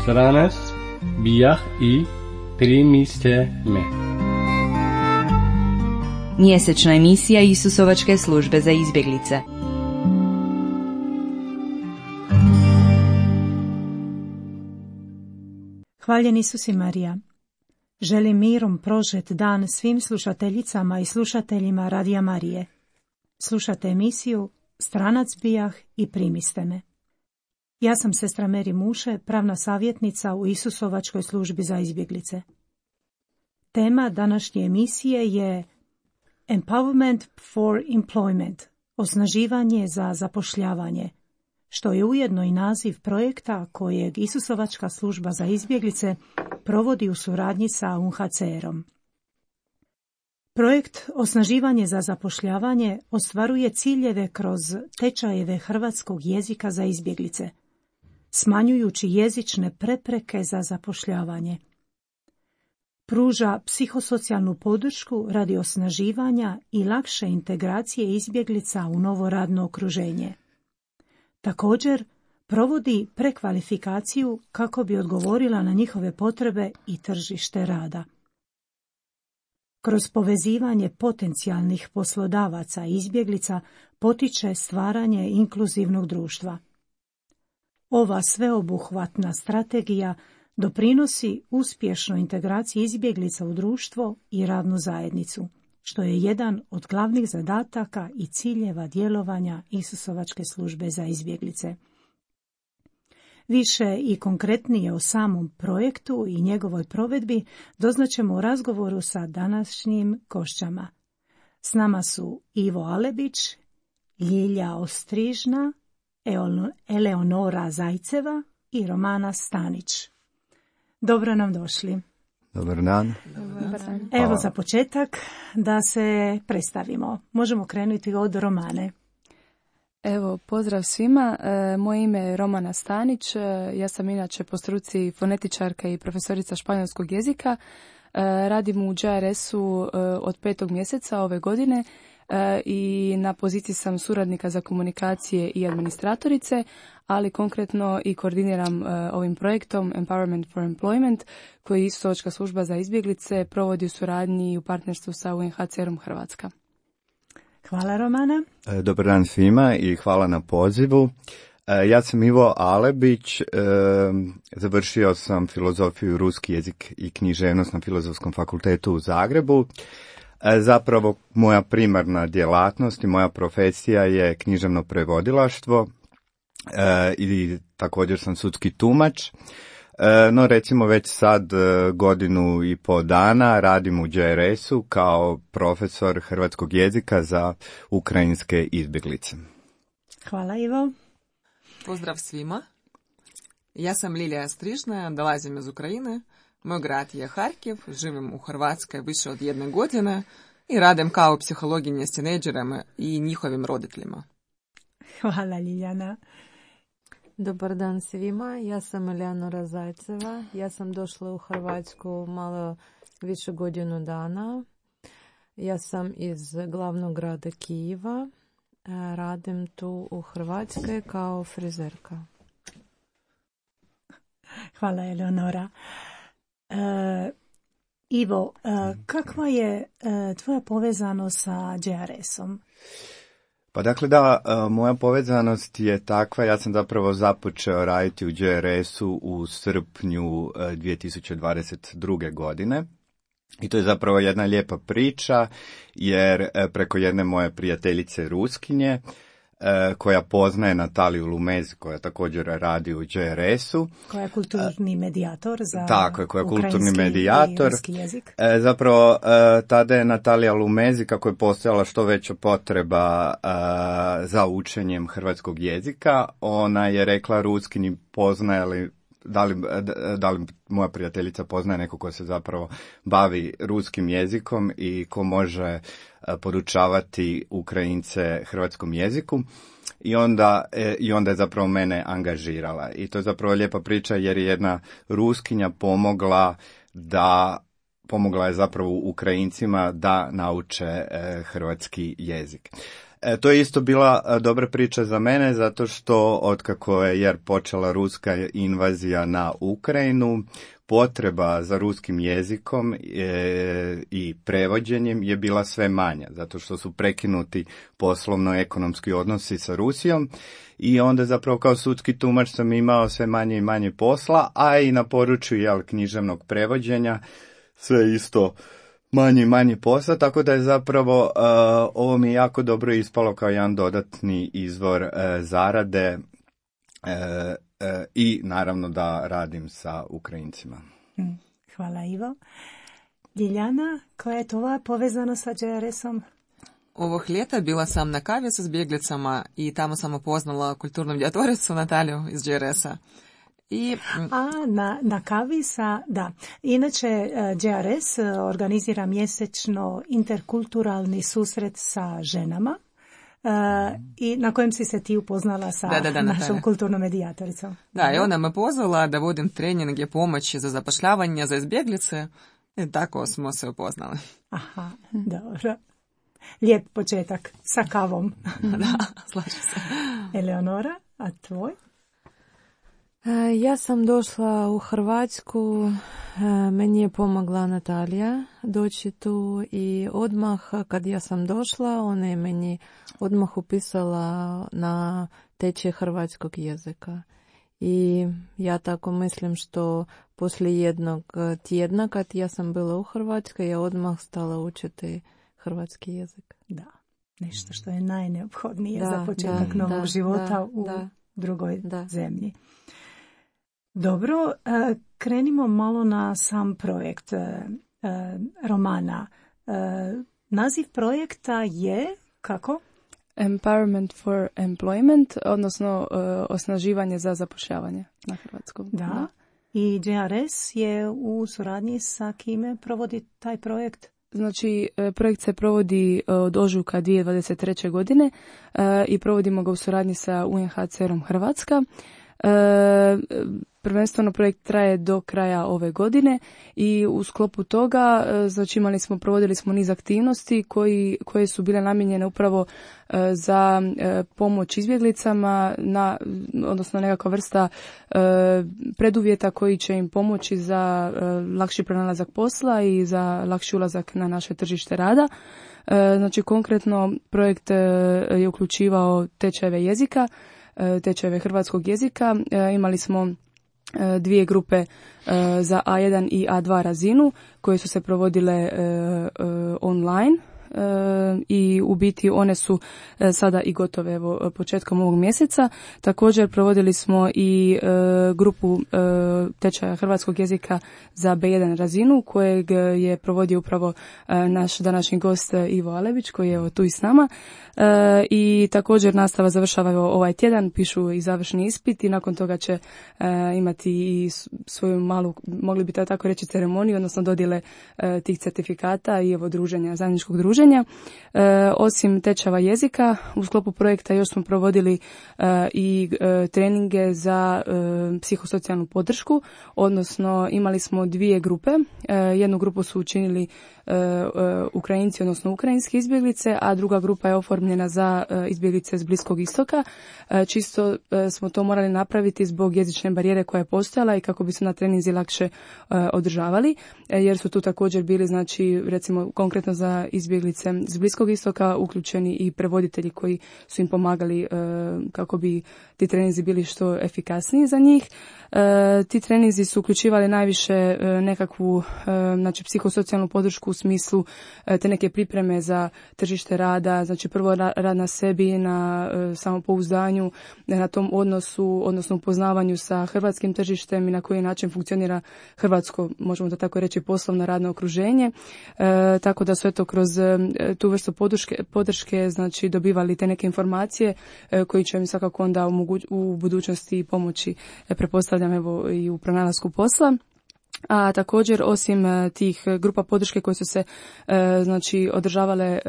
Stranac bijah i primiste me. Mjesečna emisija Isusovačke službe za izbjeglice. Hvaljen Isus i Marija. Želim mirom prožet dan svim slušateljicama i slušateljima Radija Marije. Slušate emisiju Stranac bijah i primiste me. Ja sam sestra Meri Muše, pravna savjetnica u Isusovačkoj službi za izbjeglice. Tema današnje emisije je Empowerment for Employment, osnaživanje za zapošljavanje, što je ujedno i naziv projekta kojeg Isusovačka služba za izbjeglice provodi u suradnji sa UNHCR-om. Projekt Osnaživanje za zapošljavanje ostvaruje ciljeve kroz tečajeve hrvatskog jezika za izbjeglice, smanjujući jezične prepreke za zapošljavanje. Pruža psihosocijalnu podršku radi osnaživanja i lakše integracije izbjeglica u novo radno okruženje. Također, provodi prekvalifikaciju kako bi odgovorila na njihove potrebe i tržište rada. Kroz povezivanje potencijalnih poslodavaca i izbjeglica potiče stvaranje inkluzivnog društva. Ova sveobuhvatna strategija doprinosi uspješnoj integraciji izbjeglica u društvo i radnu zajednicu, što je jedan od glavnih zadataka i ciljeva djelovanja Isusovačke službe za izbjeglice. Više i konkretnije o samom projektu i njegovoj provedbi doznaćemo u razgovoru sa današnjim gošćama. S nama su Ivo Alebić, Ljilja Ostrižna, Eleonora Zajceva i Romana Stanić. Dobro nam došli. Dobar dan. Evo za početak da se predstavimo. Možemo krenuti od Romane. Evo, pozdrav svima. Moje ime je Romana Stanić. Ja sam inače po struci fonetičarka i profesorica španjolskog jezika. Radim u JRS-u od 5. mjeseca ove godine i na poziciji sam suradnika za komunikacije i administratorice, ali konkretno i koordiniram ovim projektom Empowerment for Employment, koji Isusovačka služba za izbjeglice provodi u suradnji i u partnerstvu sa UNHCR-om Hrvatska. Hvala Romana. Dobar dan svima i hvala na pozivu. Ja sam Ivo Alebić, završio sam filozofiju, ruski jezik i književnost na Filozofskom fakultetu u Zagrebu. Zapravo moja primarna djelatnost i moja profesija je književno prevodilaštvo i također sam sudski tumač. No recimo već sad godinu i pol dana radim u JRS-u kao profesor hrvatskog jezika za ukrajinske izbjeglice. Hvala Ivo. Pozdrav svima. Ja sam Lilija Ostrižna, dolazim iz Ukrajine. Moj grad je Harkiv, živim u Hrvatskoj više od 1 godine i radim kao psihologinja s tinejdžerima i njihovim roditeljima. Hvala Liljana. Dobar dan svima, ja sam Eleonora Zajceva, ja sam došla u Hrvatsku malo više godinu dana. Ja sam iz glavnog grada Kijeva, radim tu u Hrvatskoj kao frizerka. Hvala Eleonora. Ivo, kakva je tvoja povezanost sa JRS-om? Pa dakle da, moja povezanost je takva, ja sam zapravo započeo raditi u JRS-u u srpnju 2022. godine. I to je zapravo jedna lijepa priča, jer preko jedne moje prijateljice Ruskinje, koja poznaje Nataliju Lumez, koja također radi u JRS-u. Koja je kulturni medijator za tako, koja je kulturni medijator. I ruski jezik. Zapravo, tada je Natalija Lumezi, kako je postojala što veća potreba za učenjem hrvatskog jezika, ona je rekla Ruskinji, poznaje li da li moja prijateljica poznaje neko ko se zapravo bavi ruskim jezikom i ko može podučavati Ukrajince hrvatskom jeziku. I onda je zapravo mene angažirala. I to je zapravo lijepa priča jer je jedna Ruskinja pomogla da pomogla je zapravo Ukrajincima da nauče hrvatski jezik. To je isto bila dobra priča za mene, zato što otkako je počela ruska invazija na Ukrajinu, potreba za ruskim jezikom i prevođenjem je bila sve manja, zato što su prekinuti poslovno-ekonomski odnosi sa Rusijom i onda zapravo kao sudski tumač sam imao sve manje i manje posla, a i na području književnog prevođenja sve isto manje i manje posla, tako da je zapravo ovo mi jako dobro ispalo kao jedan dodatni izvor zarade i naravno da radim sa Ukrajincima. Hvala Ivo. Ljiljana, koja je tvoja povezanost sa JRS-om? Ovog ljeta bila sam na kavi sa izbjeglicama i tamo sam upoznala kulturnu djatoricu Nataliju iz JRS-a. Na kavi da. Inače, JRS organizira mjesečno interkulturalni susret sa ženama i na kojem si se ti upoznala sa našom kulturnom medijatoricom. Da, i ona me pozvala da vodim treninge pomoći za zapošljavanje za izbjeglice i tako smo se upoznali. Aha, dobro. Lijep početak sa kavom. Da, slažem se. Eleonora, a tvoj? Ja sam došla u Hrvatsku, meni je pomogla Natalija doći tu i odmah kad ja sam došla, ona je meni odmah upisala na tečaj hrvatskog jezika. I ja tako mislim što poslije jednog tjedna kad ja sam bila u Hrvatskoj, ja odmah stala učiti hrvatski jezik. Da, nešto što je najneophodnije za početak novog života u drugoj zemlji. Dobro, krenimo malo na sam projekt romana. Naziv projekta je kako? Empowerment for Employment, odnosno osnaživanje za zapošljavanje na hrvatskom. Da. I JRS je u suradnji sa kime provodi taj projekt? Znači, projekt se provodi od ožujka 2023. godine i provodimo ga u suradnji sa UNHCR-om Hrvatska. Prvenstveno projekt traje do kraja ove godine i u sklopu toga znači provodili smo niz aktivnosti koje su bile namijenjene upravo za pomoć izbjeglicama, odnosno nekakva vrsta preduvjeta koji će im pomoći za lakši pronalazak posla i za lakši ulazak na naše tržište rada. Znači konkretno projekt je uključivao tečajeve jezika, tečajeve hrvatskog jezika. Imali smo dvije grupe za A1 i A2 razinu koje su se provodile online i u biti one su sada i gotove početkom ovog mjeseca. Također provodili smo i grupu tečaja hrvatskog jezika za B1 razinu kojeg je provodio upravo naš današnji gost Ivo Alebić koji je tu i s nama. I također nastava završava ovaj tjedan, pišu i završni ispit i nakon toga će imati i svoju malu, mogli bi tako reći, ceremoniju, odnosno dodjele tih certifikata i druženja, zajedničkog druženja. Osim tečajeva jezika, u sklopu projekta još smo provodili i treninge za psihosocijalnu podršku, odnosno imali smo dvije grupe. Jednu grupu su učinili Ukrajinci, odnosno ukrajinske izbjeglice, a druga grupa je oformljena za izbjeglice s Bliskog istoka. Čisto smo to morali napraviti zbog jezične barijere koja je postojala i kako bi se na treninzi lakše održavali, jer su tu također bili, znači, recimo konkretno za izbjeglice s Bliskog istoka uključeni i prevoditelji koji su im pomagali kako bi ti treninzi bili što efikasniji za njih. Ti treninzi su uključivali najviše nekakvu, znači, psihosocijalnu podršku u smislu te neke pripreme za tržište rada, znači prvo rad na sebi, na samopouzdanju, na tom odnosu, odnosno upoznavanju sa hrvatskim tržištem i na koji način funkcionira hrvatsko, možemo da tako reći, poslovno radno okruženje. Tako da su eto kroz tu vrstu podrške znači dobivali te neke informacije koji će im svakako onda u budućnosti pomoći, pretpostavljam, evo i u pronalasku posla. A također osim tih grupa podrške koje su se znači održavale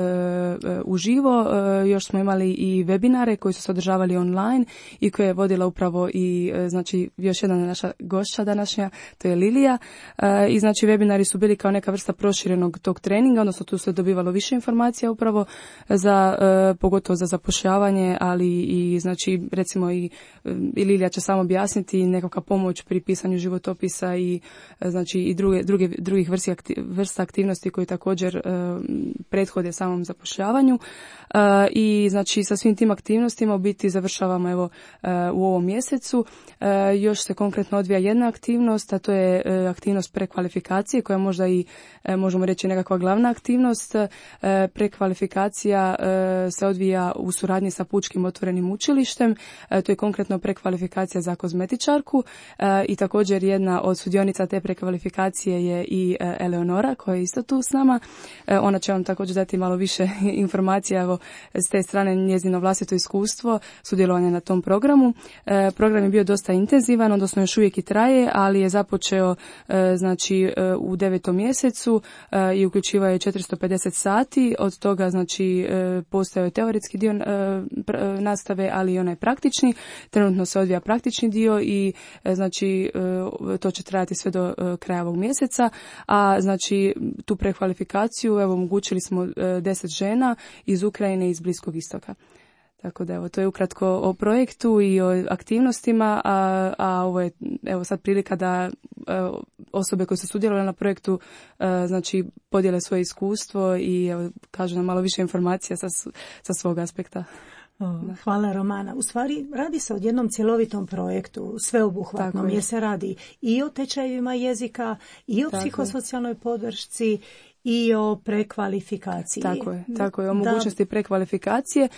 uživo, još smo imali i webinare koji su se održavali online i koje je vodila upravo i znači još jedna naša gošća današnja, to je Lilija. I znači webinari su bili kao neka vrsta proširenog tog treninga, odnosno tu se dobivalo više informacija upravo za pogotovo za zapošljavanje, ali i znači recimo i Lilija će samo objasniti nekakva pomoć pri pisanju životopisa i znači i drugih vrsta aktivnosti koje također prethode samom zapošljavanju. I znači sa svim tim aktivnostima u biti završavamo evo u ovom mjesecu. Još se konkretno odvija jedna aktivnost, a to je aktivnost prekvalifikacije koja možda i možemo reći nekakva glavna aktivnost. Prekvalifikacija se odvija u suradnji sa Pučkim otvorenim učilištem. To je konkretno prekvalifikacija za kozmetičarku i također jedna od sudionica te prekvalifikacije je i Eleonora koja je isto tu s nama. Ona će vam također dati malo više informacija, evo s te strane njezino vlastito iskustvo sudjelovanja na tom programu. Program je bio dosta intenzivan, odnosno još uvijek i traje, ali je započeo znači u 9. mjesecu i uključivao je 450 sati, od toga znači postojao je teoretski dio nastave, ali i onaj praktični. Trenutno se odvija praktični dio i znači to će trajati sve do kraja ovog mjeseca, a znači tu prekvalifikaciju evo omogućili smo 10 žena iz Ukrajine i iz Bliskog istoka. Tako da evo, to je ukratko o projektu i o aktivnostima, a ovo je evo sad prilika da osobe koje su sudjelovale na projektu znači podijele svoje iskustvo i evo, kažu nam malo više informacija sa svog aspekta. Hvala Romana. U stvari radi se o jednom cjelovitom projektu, sveobuhvatnom, jer se radi i o tečajevima jezika, i o psihosocijalnoj podršci, i o prekvalifikaciji. Tako je, o mogućnosti prekvalifikacije,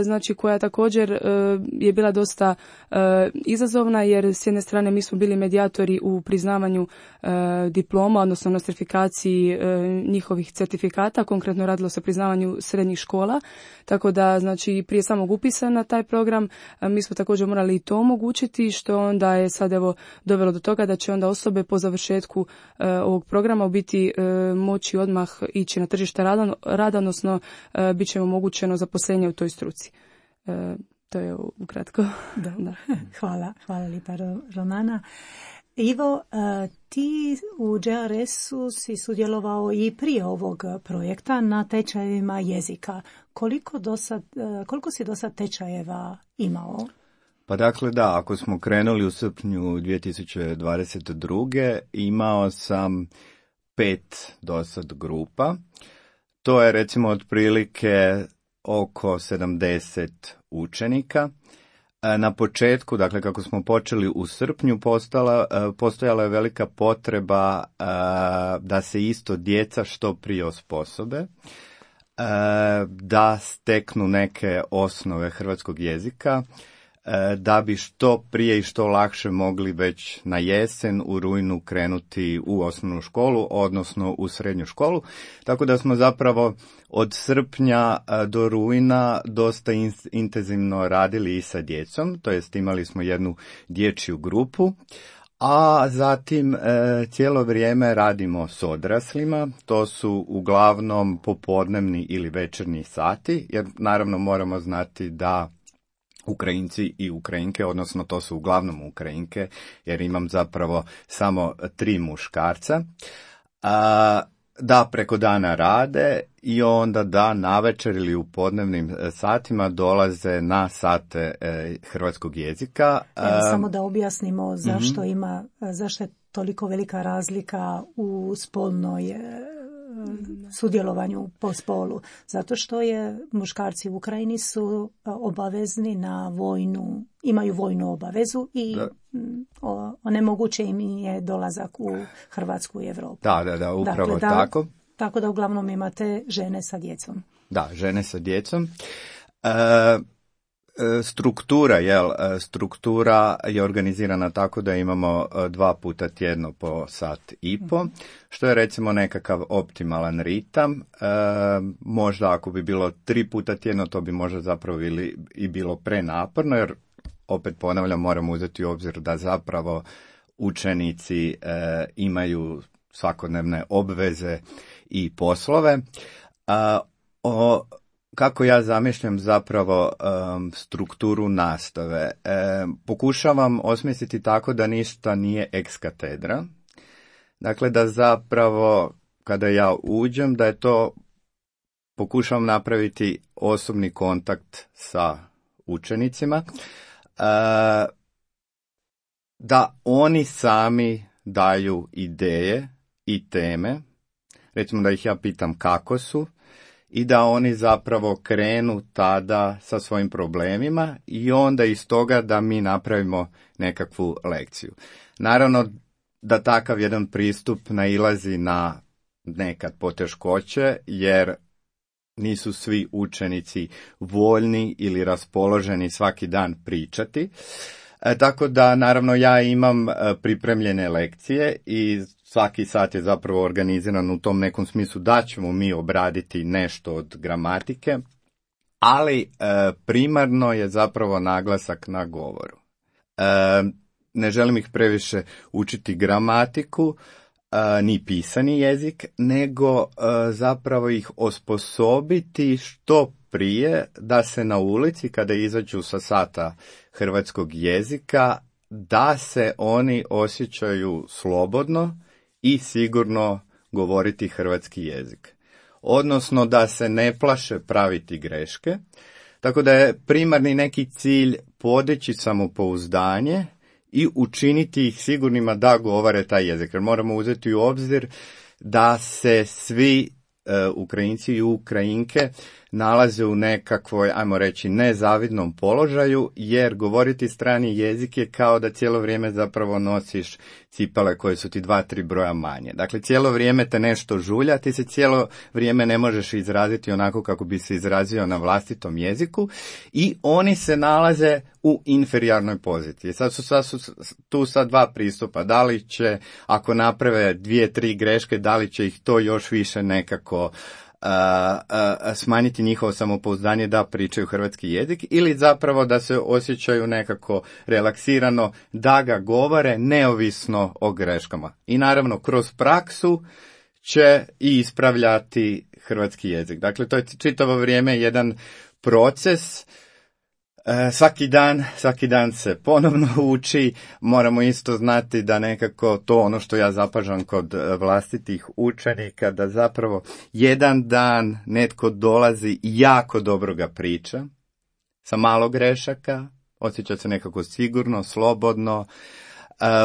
znači koja također je bila dosta izazovna, jer s jedne strane mi smo bili medijatori u priznavanju diploma, odnosno nostrifikaciji njihovih certifikata, konkretno radilo se o priznavanju srednjih škola, tako da znači prije samog upisa na taj program mi smo također morali i to omogućiti, što onda je sad evo dovelo do toga da će onda osobe po završetku ovog programa u biti moći odmah ići na tržište rada, odnosno bit će im omogućeno zaposlenje u toj struci. To je ukratko. Da. Hvala lijepa Romana. Ivo, ti u JRS-u si sudjelovao i prije ovog projekta na tečajevima jezika. Koliko si do sad tečajeva imao? Pa dakle da, ako smo krenuli u srpnju 2022. imao sam 5 dosad grupa. To je recimo otprilike oko 70 učenika. Na početku, dakle kako smo počeli u srpnju, postojala je velika potreba da se isto djeca što prije osposobe, da steknu neke osnove hrvatskog jezika, da bi što prije i što lakše mogli već na jesen u rujnu krenuti u osnovnu školu, odnosno u srednju školu. Tako da smo zapravo od srpnja do rujna dosta intenzivno radili i sa djecom, to jest imali smo jednu dječju grupu, a zatim cijelo vrijeme radimo s odraslima, to su uglavnom popodnevni ili večernji sati, jer naravno moramo znati da Ukrajinci i Ukrajinke, odnosno to su uglavnom Ukrajinke, jer imam zapravo samo 3 muškarca, da preko dana rade i onda da navečer ili u podnevnim satima dolaze na sate hrvatskog jezika. Samo da objasnimo zašto je toliko velika razlika u spolnoj sudjelovanju po spolu. Zato što je muškarci u Ukrajini su obavezni na imaju vojnu obavezu i onemoguće im je dolazak u Hrvatsku i Evropu. Da, upravo tako. Tako da uglavnom imate žene sa djecom. Da, žene sa djecom. Struktura je organizirana tako da imamo 2 puta tjedno po sat i po, što je recimo nekakav optimalan ritam. Možda ako bi bilo 3 puta tjedno, to bi možda zapravo i bilo prenaporno, jer opet ponavljam, moramo uzeti u obzir da zapravo učenici imaju svakodnevne obveze i poslove. Kako ja zamišljam zapravo strukturu nastave? Pokušavam osmisliti tako da ništa nije ex katedra. Dakle, da zapravo kada ja uđem, da je to pokušavam napraviti osobni kontakt sa učenicima, da oni sami daju ideje i teme, recimo da ih ja pitam kako su, i da oni zapravo krenu tada sa svojim problemima i onda iz toga da mi napravimo nekakvu lekciju. Naravno da takav jedan pristup nailazi na nekad poteškoće, jer nisu svi učenici voljni ili raspoloženi svaki dan pričati. Tako da, naravno, ja imam pripremljene lekcije i svaki sat je zapravo organiziran u tom nekom smislu da ćemo mi obraditi nešto od gramatike, ali primarno je zapravo naglasak na govoru. Ne želim ih previše učiti gramatiku, ni pisani jezik, nego zapravo ih osposobiti što prije da se na ulici, kada izađu sa sata hrvatskog jezika, da se oni osjećaju slobodno i sigurno govoriti hrvatski jezik. Odnosno da se ne plaše praviti greške, tako da je primarni neki cilj podići samopouzdanje i učiniti ih sigurnima da govore taj jezik. Jer moramo uzeti u obzir da se svi Ukrajinci i Ukrajinke nalaze u nekakvoj, ajmo reći, nezavidnom položaju, jer govoriti strani jezik je kao da cijelo vrijeme zapravo nosiš cipele koje su ti 2-3 broja manje. Dakle, cijelo vrijeme te nešto žulja, ti se cijelo vrijeme ne možeš izraziti onako kako bi se izrazio na vlastitom jeziku i oni se nalaze u inferiornoj poziciji. Sad su tu sad dva pristupa. Da li će, ako naprave 2-3 greške, da li će ih to još više nekako smanjiti njihovo samopouzdanje da pričaju hrvatski jezik, ili zapravo da se osjećaju nekako relaksirano da ga govore neovisno o greškama. I naravno kroz praksu će i ispravljati hrvatski jezik. Dakle, to je čitavo vrijeme jedan proces. Svaki dan se ponovno uči, moramo isto znati da nekako to ono što ja zapažam kod vlastitih učenika, da zapravo jedan dan netko dolazi i jako dobro ga priča, sa malo grešaka, osjeća se nekako sigurno, slobodno,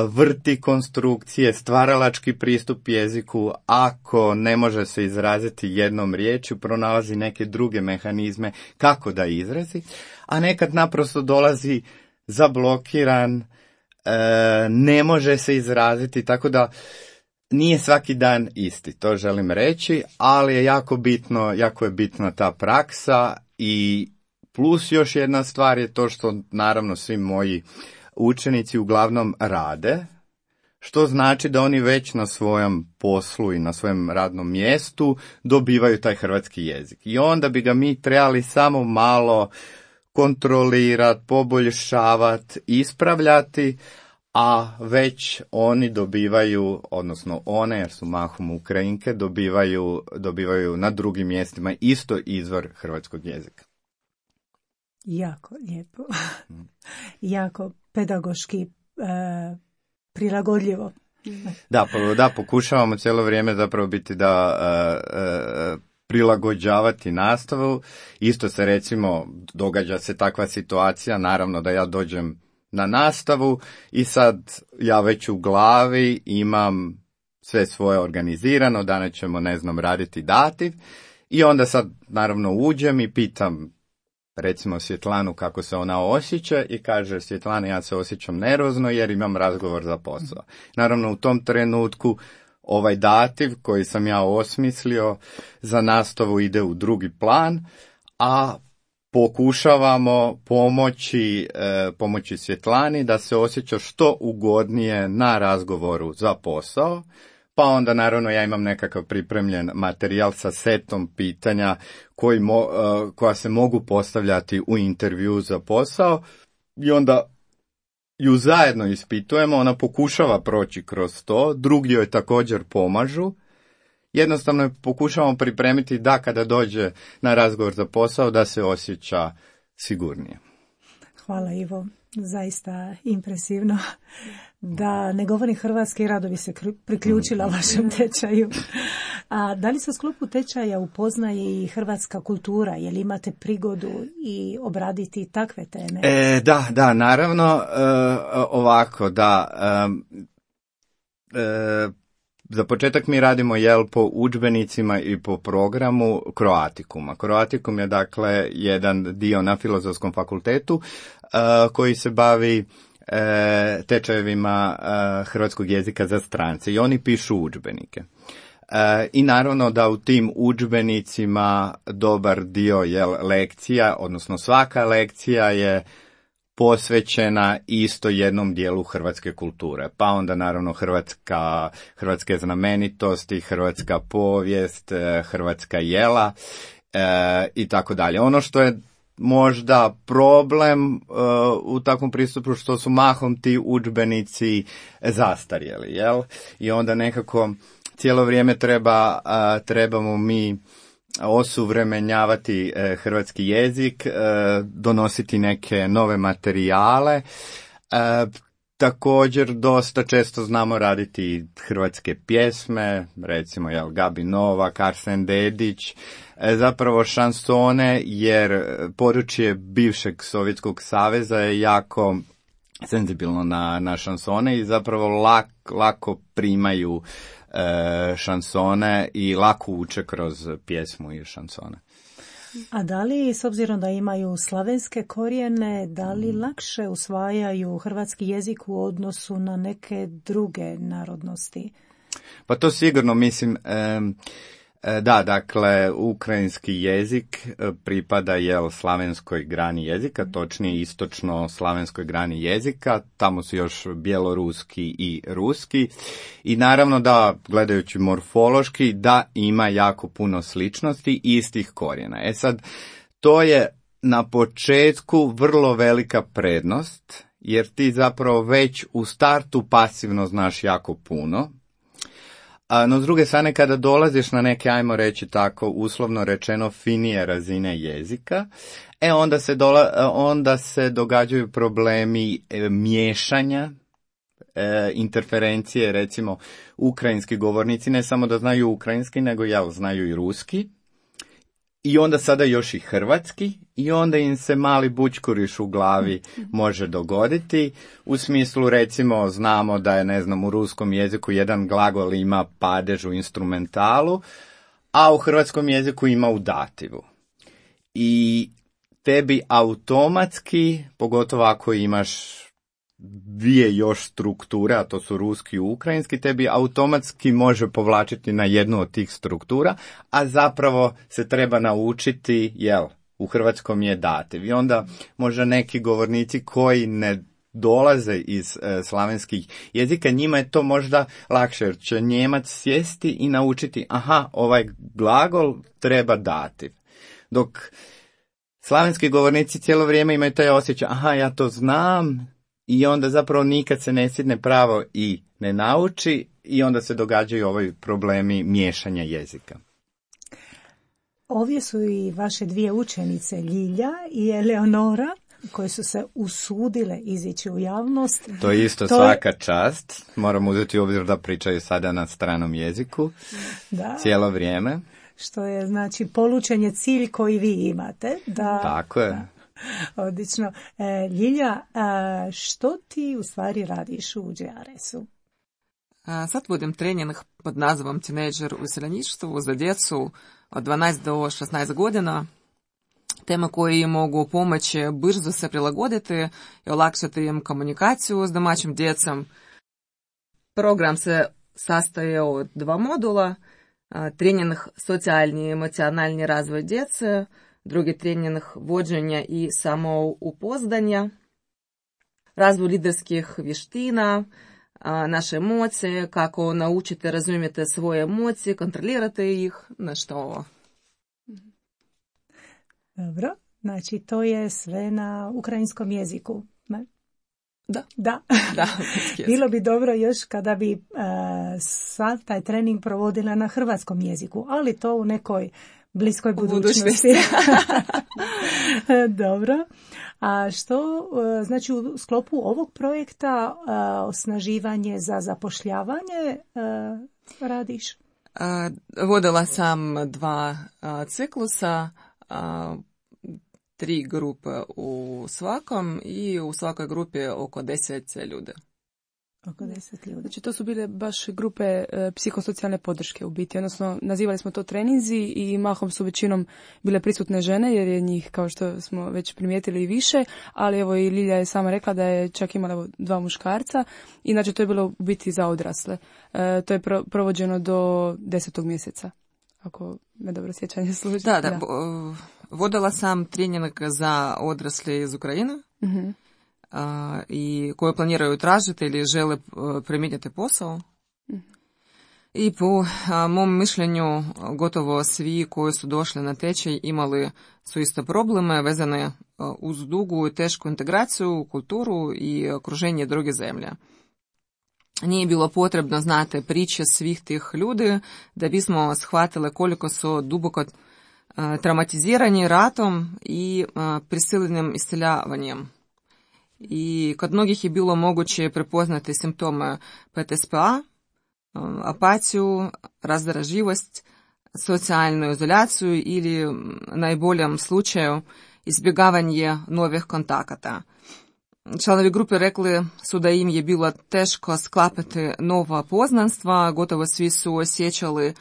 vrti konstrukcije, stvaralački pristup jeziku, ako ne može se izraziti jednom riječju, pronalazi neke druge mehanizme kako da izrazi, a nekad naprosto dolazi zablokiran, ne može se izraziti, tako da nije svaki dan isti, to želim reći, ali je jako je bitna ta praksa. I plus još jedna stvar je to što naravno svi moji učenici uglavnom rade, što znači da oni već na svojem poslu i na svojem radnom mjestu dobivaju taj hrvatski jezik. I onda bi ga mi trebali samo malo kontrolirati, poboljšavati, ispravljati, a već oni dobivaju, odnosno one, jer su mahom Ukrajinke, dobivaju na drugim mjestima isto izvor hrvatskog jezika. Jako lijepo. Jako pedagoški prilagodljivo. Da, pokušavamo cijelo vrijeme zapravo biti prilagođavati nastavu. Isto se recimo događa se takva situacija, naravno da ja dođem na nastavu i sad ja već u glavi imam sve svoje organizirano, danas ćemo raditi dativ i onda sad naravno uđem i pitam recimo Svjetlanu kako se ona osjeća i kaže: Svjetlana, ja se osjećam nervozno jer imam razgovor za posao. Naravno u tom trenutku ovaj dativ koji sam ja osmislio za nastavu ide u drugi plan, a pokušavamo pomoći Svjetlani da se osjeća što ugodnije na razgovoru za posao. Pa onda naravno ja imam nekakav pripremljen materijal sa setom pitanja koja se mogu postavljati u intervju za posao i onda ju zajedno ispitujemo, ona pokušava proći kroz to, drugi joj također pomažu. Jednostavno je pokušavamo pripremiti da kada dođe na razgovor za posao da se osjeća sigurnije. Hvala Ivo, zaista impresivno. Da ne govorim hrvatski, rado bi se priključila vašem tečaju. A da li se u sklopu tečaja upoznaje i hrvatska kultura? Je li imate prigodu i obraditi takve teme? Da, naravno, ovako, da. Za početak mi radimo po udžbenicima i po programu Croaticuma. Croaticum je dakle jedan dio na Filozofskom fakultetu koji se bavi tečajevima hrvatskog jezika za strance i oni pišu udžbenike. I naravno da u tim udžbenicima dobar dio lekcija, odnosno svaka lekcija je posvećena isto jednom dijelu hrvatske kulture. Pa onda naravno hrvatske znamenitosti, hrvatska povijest, hrvatska jela i tako dalje. Ono što je možda problem u takvom pristupu što su mahom ti udžbenici zastarjeli, jel? I onda nekako cijelo vrijeme trebamo mi osuvremenjavati hrvatski jezik, donositi neke nove materijale. Također dosta često znamo raditi hrvatske pjesme, recimo Gabi Novak, Arsen Dedić, zapravo šansone, jer područje bivšeg Sovjetskog saveza je jako senzibilno na šansone i zapravo lako primaju šansone i lako uče kroz pjesmu i šansone. A da li, s obzirom da imaju slavenske korijene, da li lakše usvajaju hrvatski jezik u odnosu na neke druge narodnosti? Pa to sigurno, mislim, da, dakle, ukrajinski jezik pripada slavenskoj grani jezika, točnije istočno slavenskoj grani jezika, tamo su još bjeloruski i ruski i naravno da, gledajući morfološki, da ima jako puno sličnosti istih korijena. Sad, to je na početku vrlo velika prednost, jer ti zapravo već u startu pasivno znaš jako puno. No, s druge strane, kada dolaziš na neke, ajmo reći tako, uslovno rečeno, finije razine jezika, onda se događaju problemi miješanja, interferencije, recimo, ukrajinski govornici ne samo da znaju ukrajinski, nego znaju i ruski, i onda sada još i hrvatski, i onda im se mali bućkuriš u glavi može dogoditi. U smislu, recimo, znamo da je, u ruskom jeziku jedan glagol ima padež u instrumentalu, a u hrvatskom jeziku ima u dativu. I tebi automatski, pogotovo ako imaš dvije još strukture, a to su ruski i ukrajinski, tebi automatski može povlačiti na jednu od tih struktura, a zapravo se treba naučiti, u hrvatskom je dativ. I onda možda neki govornici koji ne dolaze iz slavenskih jezika, njima je to možda lakše, jer će Njemac sjesti i naučiti, ovaj glagol treba dativ. Dok slavenski govornici cijelo vrijeme imaju taj osjećaj, ja to znam, i onda zapravo nikad se ne sjedne pravo i ne nauči i onda se događaju ovi problemi miješanja jezika. Ovdje su i vaše dvije učenice, Ljilja i Eleonora, koje su se usudile izići u javnost. To je isto svaka čast. Moram uzeti u obzir da pričaju sada na stranom jeziku cijelo vrijeme. Što je, polučen je cilj koji vi imate. Tako je. Da. Odlično. Ljilja, što ti u stvari radiš u GRS-u? Sad vodim trening pod nazivom Tinejdžer u iseljeništvu za djecu od 12 do 16 godina. Teme koje im mogu pomoći brzo se prilagoditi i olakšati im komunikaciju s domaćim djecom. Program se sastoji od 2 modula. Trening socijalni i emocionalni razvoj djece, drugi trening vođenja i samoupoznanja, razvoj liderskih vještina, naše emocije, kako naučiti razumjeti svoje emocije, kontrolirati ih, nešto ovo. Dobro, to je sve na ukrajinskom jeziku. Ne? Da. Da. Bilo bi dobro još kada bi sav taj trening provodila na hrvatskom jeziku, ali to u nekoj bliskoj budućnosti. Dobro. A što, znači u sklopu ovog projekta osnaživanje za zapošljavanje radiš? Vodila sam 2 ciklusa, 3 grupe u svakom i u svakoj grupi oko 10 ljudi. Oko 10 ljudi. Znači to su bile baš grupe psihosocijalne podrške u biti, odnosno nazivali smo to treninzi i mahom su većinom bile prisutne žene jer je njih, kao što smo već primijetili, i više, ali evo i Lilja je sama rekla da je čak imala 2 muškarca, inače to je bilo u biti za odrasle. To je provođeno do 10. mjeseca, ako me dobro sjećanje služi. Da. Vodila sam trening za odrasle iz Ukrajine. I koje planiraju tražiti ili žele promijeniti posao. I po mom mišljenju gotovo svi koji su došli na tečaj imali su isto probleme vezane uz dugu i tešku integraciju, kulturu i okruženje druge zemlje. Nije bilo potrebno znati priče svih tih ljudi da bismo shvatili koliko su duboko traumatizirani ratom i prisiljenim iseljavanjem. I kod mnogih je bilo moguće prepoznati simptome PTSP-a, apatiju, razdržljivost, socijalnu izolaciju ili najboljem slučaju izbjegavanje novih kontakata. Članovi grupe rekli su da im je bilo teško sklapati nova poznanstva, gotovo svi su osjećali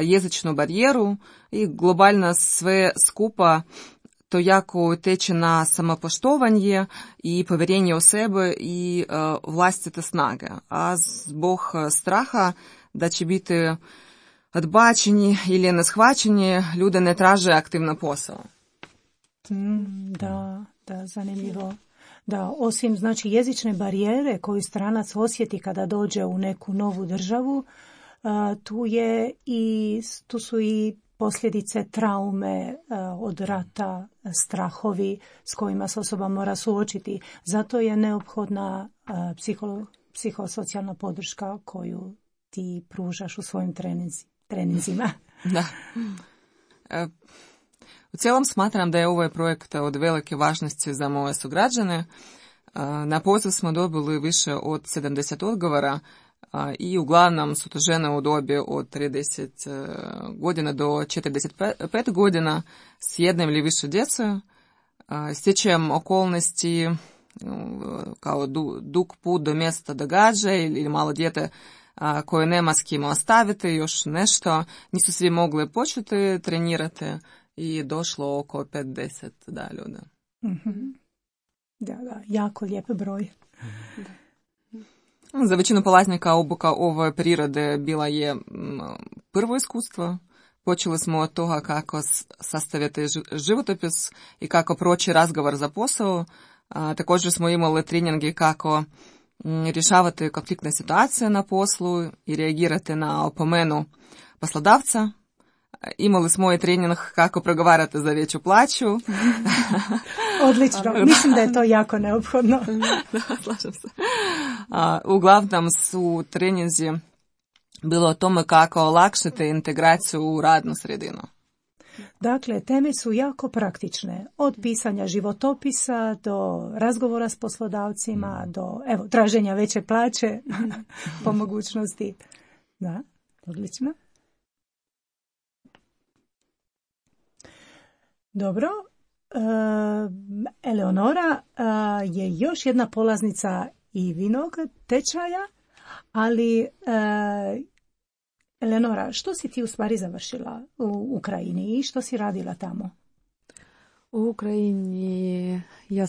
jezičnu barijeru i globalno sve skupa to jako utječe na samopoštovanje i povjerenje u sebe i vlastite snage. A zbog straha da će biti odbačeni ili neshvaćeni, ljudi ne traže aktivno posao. Da, zanimljivo. Da, osim znači jezične barijere koju stranac osjeti kada dođe u neku novu državu, tu su i posljedice traume od rata, strahovi s kojima se osoba mora suočiti. Zato je neophodna psihosocijalna podrška koju ti pružaš u svojim treninzima. Da. U cijelom smatram da je ovaj projekt od velike važnosti za moje sugrađane. Na poziv smo dobili više od 70 odgovora i uglavnom su to žene u dobi od 30 godina do 45 godina s jednim ili više djece. Stjecajem okolnosti kao dug put do mjesta događaja ili malo dijete koje nema s kim ostaviti, još nešto. Nisu svi mogli početi trenirati i došlo oko 50 ljudi. Da, jako lijep broj. Za većinu polaznika obuka ove prirode bila je prvo iskustvo. Počeli smo od toga kako sastaviti životopis i kako proći razgovor za posao. Također smo imali treninge kako rješavati konfliktne situacije na poslu i reagirati na opomenu poslodavca. Imali smo i trening kako pregovarati za veću plaću. Odlično, mislim da je to jako neophodno. Da, slažem se. Uglavnom su treninzi bilo o tome kako olakšati integraciju u radnu sredinu. Dakle, teme su jako praktične. Od pisanja životopisa do razgovora s poslodavcima, do traženja veće plaće po mogućnosti. Da, odlično. Dobro, Eleonora je još jedna polaznica Ivinog tečaja, ali Eleonora, što si ti u stvari završila u Ukrajini i što si radila tamo? U Ukrajini ja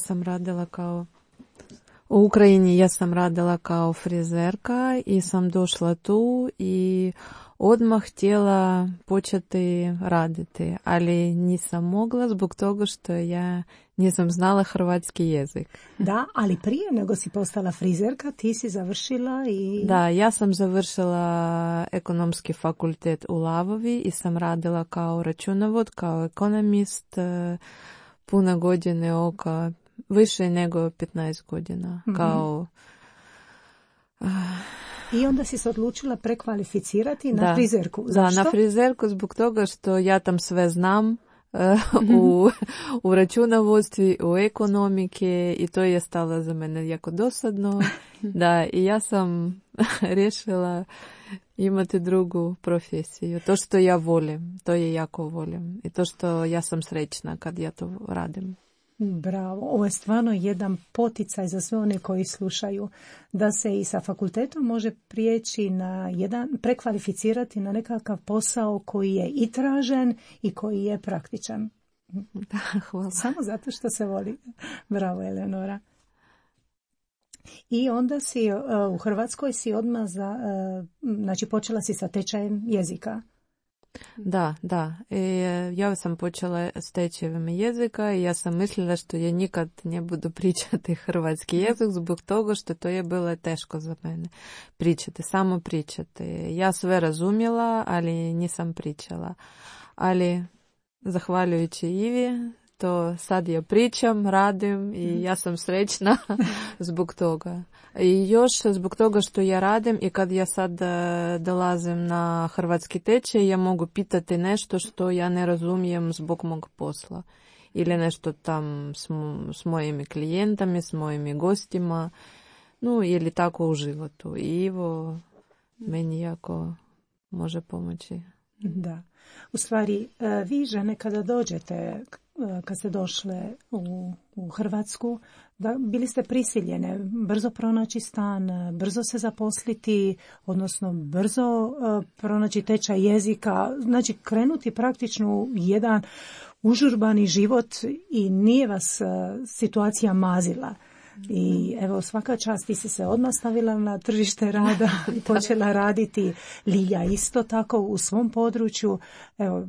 sam radila kao frizerka i sam došla tu i odmah htjela početi raditi, ali nisam mogla zbog toga što ja nisam znala hrvatski jezik. Da, ali prije nego si postala frizerka, ti si završila i... Da, ja sam završila ekonomski fakultet u Lavovi i sam radila kao računovod, kao ekonomist, puno godine, oko više nego 15 godina. Kao... I onda si se odlučila prekvalificirati na frizerku. Zašto? Da, na frizerku zbog toga što ja tam sve znam. U računovodstvi, u ekonomike i to je stalo za mene jako dosadno. Da, i ja sam rješila imati drugu profesiju. To što ja volim, to je jako volim. I to što ja sam srećna kad ja to radim. Bravo, ovo je stvarno jedan poticaj za sve one koji slušaju, da se i sa fakultetom može prijeći na prekvalificirati na nekakav posao koji je i tražen i koji je praktičan. Da, hvala. Samo zato što se voli. Bravo, Eleonora. I onda si u Hrvatskoj si odmah znači počela si sa tečajem jezika. Da. Ja sam počela s tečajem jezika i ja sam mislila što ja nikad ne budu pričati hrvatski jezik zbog toga što to je bilo teško za mene. Samo pričati. Ja sve razumjela, ali nisam pričala. Ali zahvaljujući Ivi, to sad ja pričam, radim i ja sam srećna zbog toga. I još zbog toga što ja radim i kad ja sad dolazim na hrvatski tečaj, ja mogu pitati nešto što ja ne razumijem zbog mog posla. Ili nešto tam s mojimi klijentami, s mojimi gostima, ili tako u životu. I Ivo meni jako može pomoći. Da. U stvari, vi žene kada dođete, kad ste došle u Hrvatsku, bili ste prisiljene brzo pronaći stan, brzo se zaposliti, odnosno brzo pronaći tečaj jezika, znači krenuti praktično u jedan užurbani život i nije vas situacija mazila. I evo, svaka čast, ti si se odmah stavila na tržište rada i počela raditi. Lilja isto tako u svom području. Evo,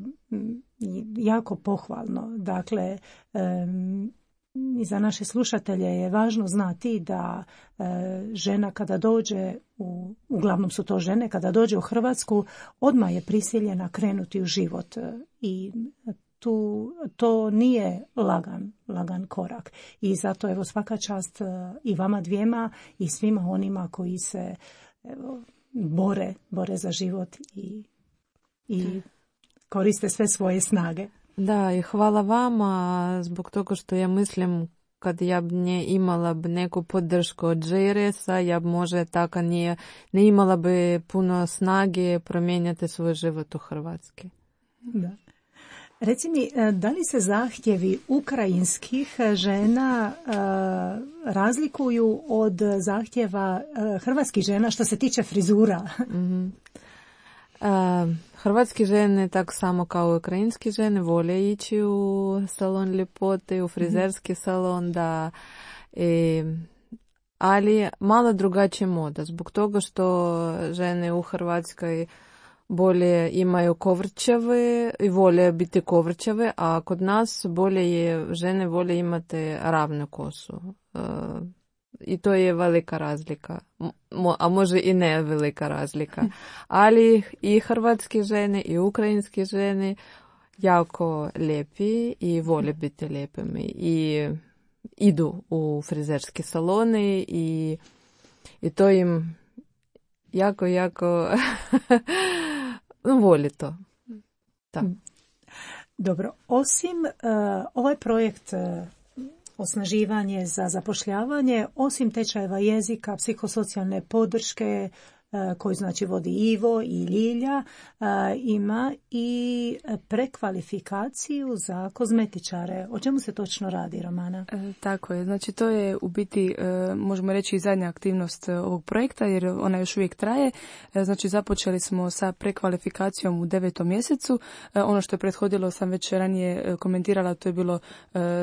jako pohvalno. Dakle, i za naše slušatelje je važno znati da žena kada dođe, uglavnom su to žene, kada dođe u Hrvatsku, odmah je prisiljena krenuti u život i to nije lagan korak. I zato evo svaka čast i vama dvijema i svima onima koji se bore za život i koriste sve svoje snage. Da, i hvala vama zbog toga što ja mislim kad ja ne imala bi neku podršku od JRS-a, ja možda tako ne imala bi puno snage promijeniti svoj život u Hrvatskoj. Da. Reci mi, da li se zahtjevi ukrajinskih žena razlikuju od zahtjeva hrvatskih žena što se tiče frizura? Hrvatski žene, tako samo kao i ukrajinski žene, vole ići u salon ljepote, u frizerski salon, da, ali malo drugačija moda, zbog toga što žene u Hrvatskoj bolje imaju kovrčave i vole biti kovrčave, a kod nas žene vole imati ravnu kosu. I to je velika razlika, a može i ne velika razlika. Ali i hrvatske žene i ukrajinske žene jako lijepi i vole biti lijepimi i idu u frizerske salone i to im jako voli to. Da. Dobro, osim ovaj projekt osnaživanje za zapošljavanje, osim tečajeva jezika, psihosocijalne podrške koju znači vodi Ivo i Ljilja, ima i prekvalifikaciju za kozmetičare. O čemu se točno radi, Romana? Tako je, znači to je u biti, možemo reći, i zadnja aktivnost ovog projekta, jer ona još uvijek traje. Znači započeli smo sa prekvalifikacijom u 9. mjesecu. Ono što je prethodilo sam već ranije komentirala, to je bilo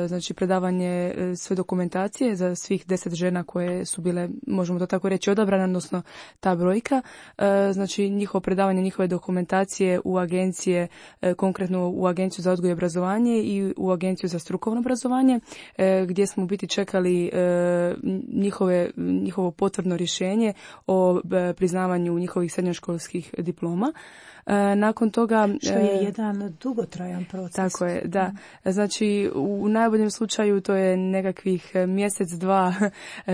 znači predavanje sve dokumentacije za svih 10 žena koje su bile, možemo to tako reći, odabrane, odnosno ta brojka. Znači njihovo predavanje, njihove dokumentacije u agencije, konkretno u Agenciju za odgoj i obrazovanje i u Agenciju za strukovno obrazovanje, gdje smo u biti čekali njihovo potvrdno rješenje o priznavanju njihovih srednjoškolskih diploma. Nakon toga... Što je jedan dugotrajan proces. Tako je, da. Znači, u najboljem slučaju to je nekakvih mjesec, dva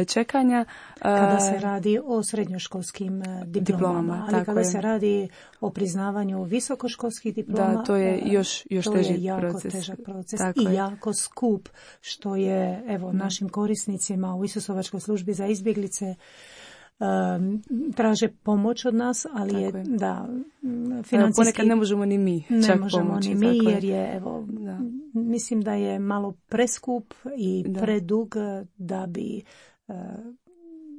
čekanja. Kada se radi o srednjoškolskim diplomama, ali kada se radi o priznavanju visokoškolskih diploma, da, to je još to teži je jako proces. Težak proces Tako i je. jako skup, što je našim korisnicima u Isusovačkoj službi za izbjeglice traže pomoć od nas, ali je da financijski ponekad ne možemo ni mi čak pomoći. Ne možemo ni mi, jer je mislim da je malo preskup i predug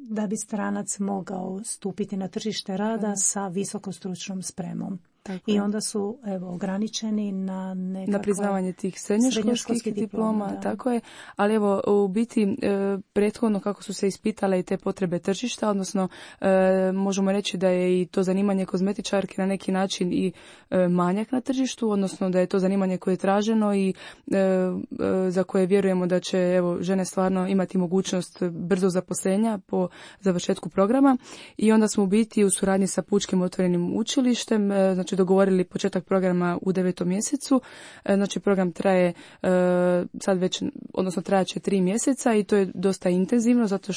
da bi stranac mogao stupiti na tržište rada sa visokostručnom spremom. I onda su ograničeni na priznavanje tih srednjoškolskih diploma, tako je. Ali u biti prethodno kako su se ispitale i te potrebe tržišta, odnosno možemo reći da je i to zanimanje kozmetičarke na neki način i manjak na tržištu, odnosno da je to zanimanje koje je traženo i za koje vjerujemo da će žene stvarno imati mogućnost brzo zaposlenja po završetku programa. I onda smo u biti u suradnji sa Pučkim otvorenim učilištem, znači dogovorili početak programa u 9. mjesecu. Znači program traje sad već, odnosno trajaće 3 mjeseca i to je dosta intenzivno zato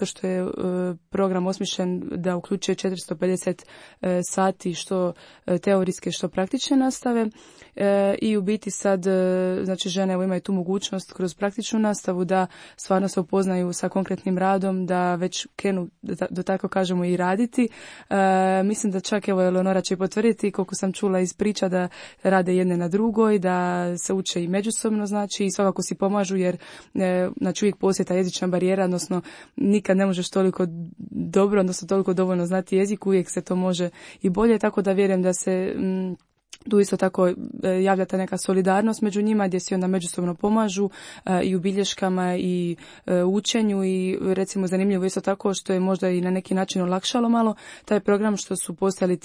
što je program osmišljen da uključuje 450 sati što teorijske što praktične nastave i u biti sad znači žene imaju tu mogućnost kroz praktičnu nastavu da stvarno se upoznaju sa konkretnim radom, da već krenu da tako kažemo i raditi. Mislim da čak Eleonora će potvrditi koliko sam čula iz priča da rade jedne na drugoj, da se uče i međusobno, znači i svakako si pomažu jer znači uvijek postoji ta jezična barijera, odnosno nikad ne možeš toliko dobro, odnosno toliko dovoljno znati jezik, uvijek se to može i bolje, tako da vjerujem da se tu isto tako javlja ta neka solidarnost među njima gdje si onda međusobno pomažu i u bilješkama i učenju i recimo zanimljivo isto tako što je možda i na neki način olakšalo malo taj program što su postojali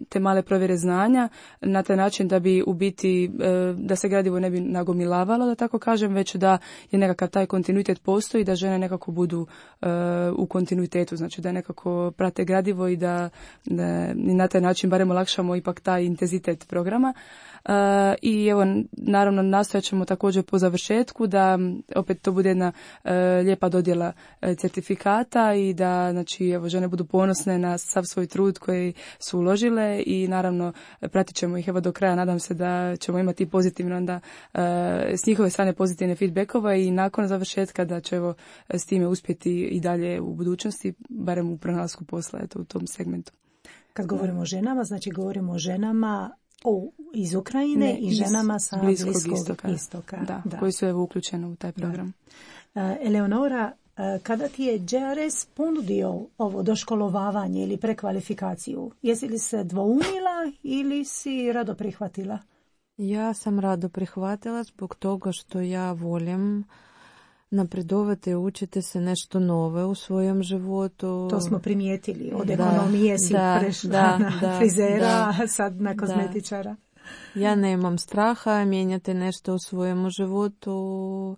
te male provjere znanja na taj način da bi u biti da se gradivo ne bi nagomilavalo da tako kažem, već da je nekakav taj kontinuitet postoji, da žene nekako budu u kontinuitetu, znači da nekako prate gradivo i da na taj način barem olakšamo ipak taj intenzitet programa. I naravno nastojat ćemo također po završetku da opet to bude jedna lijepa dodjela certifikata i da znači žene budu ponosne na sav svoj trud koji su uložile i naravno pratit ćemo ih do kraja, nadam se da ćemo imati pozitivno onda s njihove strane pozitivne feedbackova i nakon završetka da će s time uspjeti i dalje u budućnosti, barem u pronalasku posla u tom segmentu. Kad govorimo o ženama, znači govorimo o ženama iz Ukrajine i ženama sa Bliskog istoka. Da, koji su uključeni u taj program. Eleonora, kada ti je JRS ponudio ovo doškolovavanje ili prekvalifikaciju, jesi li se dvoumila ili si rado prihvatila? Ja sam rado prihvatila zbog toga što ja volim napredovati i učiti se nešto nove u svojem životu. To smo primijetili. Od ekonomije si prešla na frizera, a sad na kozmetičara. Ja nemam straha mijenjati nešto u svojem životu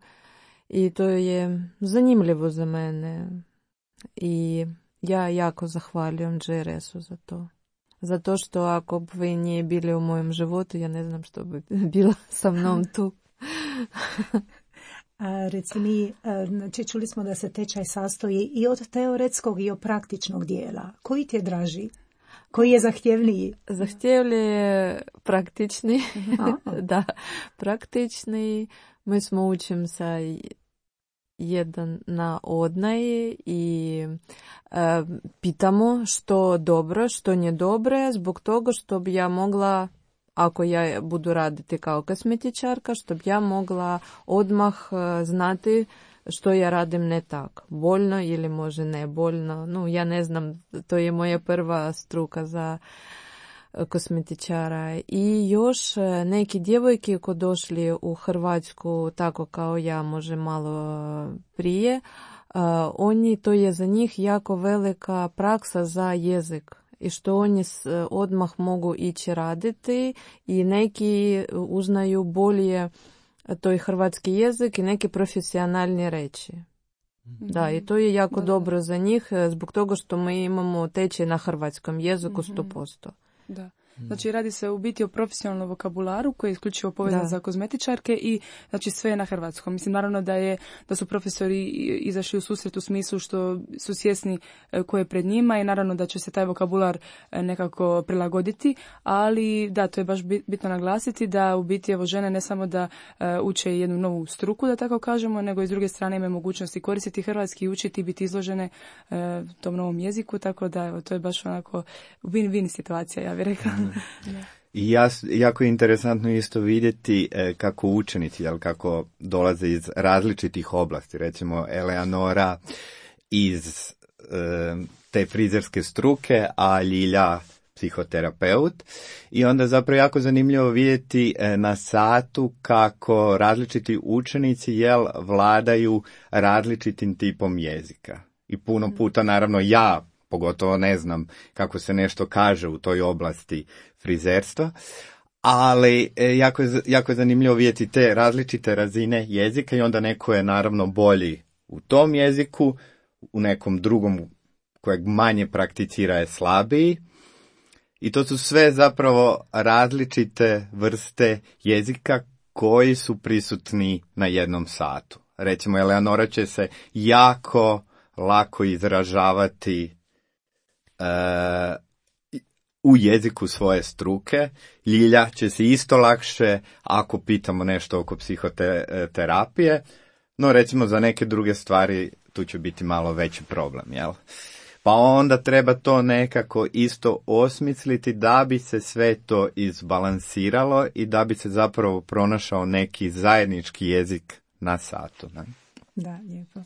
i to je zanimljivo za mene. I ja jako zahvaljujem JRS-u za to. Zato što ako bi vi nije bili u mojem životu, ja ne znam što bi bila sa mnom tu. Reci mi, znači čuli smo da se tečaj sastoji i od teoretskog i od praktičnog dijela. Koji ti je draži? Koji je zahtjevniji? Zahtjevniji je praktični. Da, praktični. Mi smo učim sa jedan na odnaj i pitamo što dobro, što nije dobro, zbog toga što bi ja mogla, ako ja budu raditi kao kozmetičarka, što bi ja mogla odmah znati što ja radim ne tak. Boljno ili može ne boljno. No, ja ne znam, to je moja prva struka za kozmetičara. I još neki djevojke koji došli u Hrvatsku tako kao ja, može malo prije, oni, to je za njih jako velika praksa za jezik. I što oni odmah mogu ići raditi i neki uznaju bolje to je hrvatski jezik i neki profesionalni reči. Da, i to je jako dobro za njih, zbog toga što mi imamo tečaj na hrvatskom jeziku 100%. Da. Znači radi se u biti o profesionalnom vokabularu koji je isključivo povezan za kozmetičarke i znači sve je na hrvatskom. Mislim naravno da su profesori izašli u susret u smislu što su svjesni ko je pred njima i naravno da će se taj vokabular nekako prilagoditi, ali da, to je baš bitno naglasiti da u biti evo žene ne samo da uče jednu novu struku da tako kažemo, nego i s druge strane imaju mogućnosti koristiti hrvatski i učiti i biti izložene tom novom jeziku, tako da evo to je baš onako win-win situacija, ja bih rekla. I jako je interesantno isto vidjeti kako učenici, kako dolaze iz različitih oblasti. Recimo Eleanora iz te frizerske struke, a Ljilja psihoterapeut. I onda zapravo jako zanimljivo vidjeti na satu kako različiti učenici vladaju različitim tipom jezika. I puno puta naravno ja pogotovo ne znam kako se nešto kaže u toj oblasti frizerstva, ali jako je zanimljivo vidjeti te različite razine jezika i onda neko je naravno bolji u tom jeziku, u nekom drugom kojeg manje prakticira je slabiji. I to su sve zapravo različite vrste jezika koji su prisutni na jednom satu. Recimo, Eleanora će se jako lako izražavati u jeziku svoje struke. Ljilja će se isto lakše ako pitamo nešto oko psihoterapije, no recimo za neke druge stvari tu će biti malo veći problem, jel? Pa onda treba to nekako isto osmisliti da bi se sve to izbalansiralo i da bi se zapravo pronašao neki zajednički jezik na satu. Ne? Da, lijepo.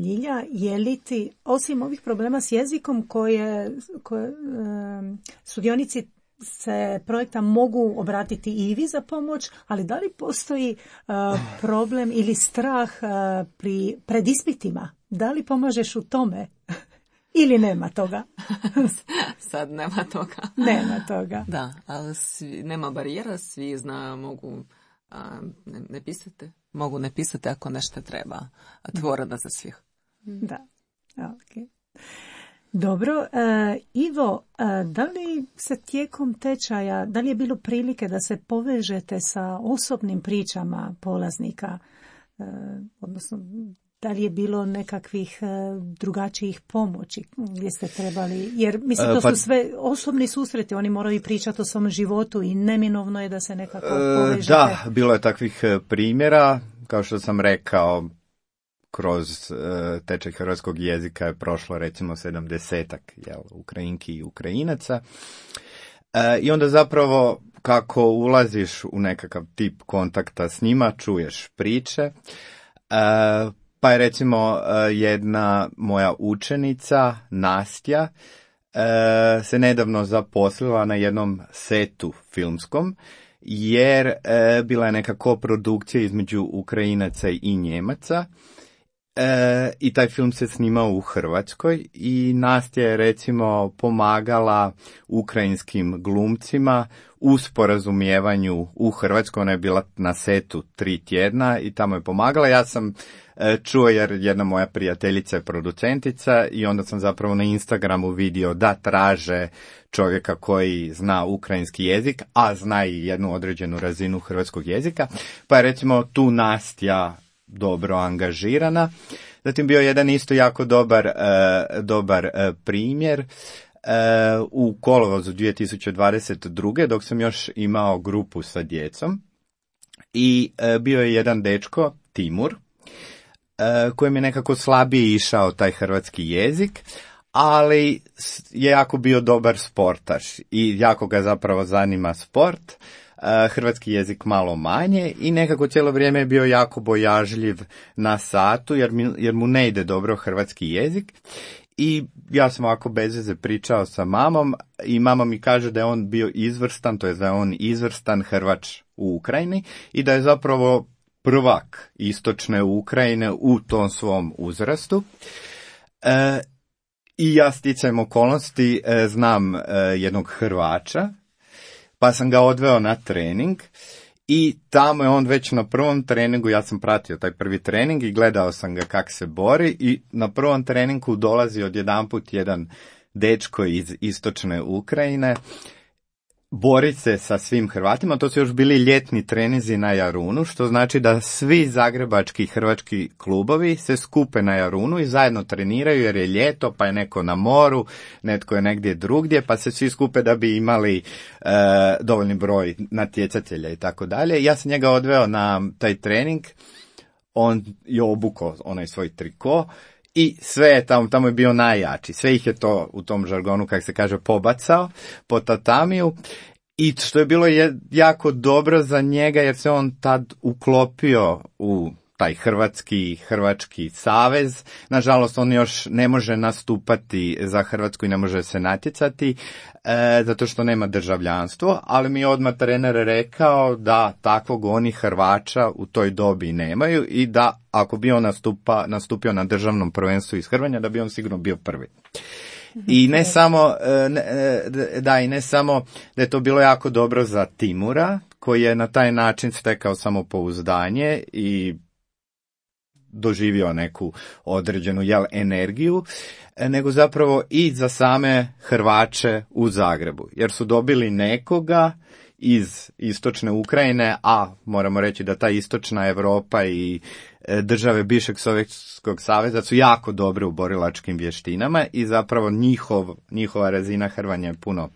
Ljilja, je li ti, osim ovih problema s jezikom koje sudionici se projekta mogu obratiti i vi za pomoć, ali da li postoji problem ili strah pred ispitima? Da li pomažeš u tome? Ili nema toga? Sad nema toga. Nema toga. Da, ali nema barijera, svi mogu mogu ne pisati ako nešto treba. Otvorena za svih. Da, ok. Dobro, Ivo, da li se tijekom tečaja, da li je bilo prilike da se povežete sa osobnim pričama polaznika, odnosno da li je bilo nekakvih drugačijih pomoći gdje ste trebali, jer mislim to su sve osobni susreti, oni moraju pričati o svom životu i neminovno je da se nekako povežete. Da, bilo je takvih primjera, kao što sam rekao, kroz tečaj hrvatskog jezika je prošlo recimo 70-ak Ukrajinki i Ukrajinaca. I onda zapravo kako ulaziš u nekakav tip kontakta s njima, čuješ priče. Pa je recimo jedna moja učenica, Nastja, se nedavno zaposlila na jednom setu filmskom, jer bila je neka koprodukcija između Ukrajinaca i Njemaca. I taj film se snimao u Hrvatskoj i Nastja je recimo pomagala ukrajinskim glumcima u sporazumijevanju u Hrvatskoj. Ona je bila na setu 3 tjedna i tamo je pomagala. Ja sam čuo jer jedna moja prijateljica je producentica i onda sam zapravo na Instagramu vidio da traže čovjeka koji zna ukrajinski jezik, a zna i jednu određenu razinu hrvatskog jezika. Pa je recimo tu Nastja dobro angažirana. Zatim bio jedan isto jako dobar primjer u kolovozu 2022. dok sam još imao grupu sa djecom i bio je jedan dečko, Timur, kojem je nekako slabije išao taj hrvatski jezik, ali je jako bio dobar sportaš i jako ga zapravo zanima sport. Hrvatski jezik malo manje i nekako cijelo vrijeme je bio jako bojažljiv na satu jer mu ne ide dobro hrvatski jezik. I ja sam ovako bez veze pričao sa mamom i mama mi kaže da je on bio izvrstan, to je da je on izvrstan Hrvač u Ukrajini i da je zapravo prvak istočne Ukrajine u tom svom uzrastu. I ja sticajem okolnosti znam jednog Hrvača, pa sam ga odveo na trening I tamo je on već na prvom treningu, ja sam pratio taj prvi trening i gledao sam ga kako se bori i na prvom treningu dolazi odjedanput jedan dečko iz istočne Ukrajine, bori se sa svim Hrvatima, to su još bili ljetni treninzi na Jarunu, što znači da svi zagrebački hrvački klubovi se skupe na Jarunu i zajedno treniraju jer je ljeto, pa je neko na moru, netko je negdje drugdje, pa se svi skupe da bi imali dovoljni broj natjecatelja i tako dalje. Ja sam njega odveo na taj trening, on je obukao onaj svoj triko, i sve je tamo je bio najjači. Sve ih je to u tom žargonu, kako se kaže, pobacao po tatamiju. I što je bilo jako dobro za njega, jer se on tad uklopio u taj Hrvatski savez. Nažalost, on još ne može nastupati za Hrvatsku i ne može se natjecati, zato što nema državljanstvo, ali mi je odmah trener rekao da takvog oni Hrvača u toj dobi nemaju i da ako bi on nastupio na državnom prvenstvu iz Hrvanja, da bi on sigurno bio prvi. I ne samo da je to bilo jako dobro za Timura, koji je na taj način stekao samopouzdanje i doživio neku određenu energiju, nego zapravo i za same Hrvače u Zagrebu, jer su dobili nekoga iz istočne Ukrajine, a moramo reći da ta istočna Europa i države bivšeg Sovjetskog saveza su jako dobre u borilačkim vještinama i zapravo njihova razina hrvanja je puno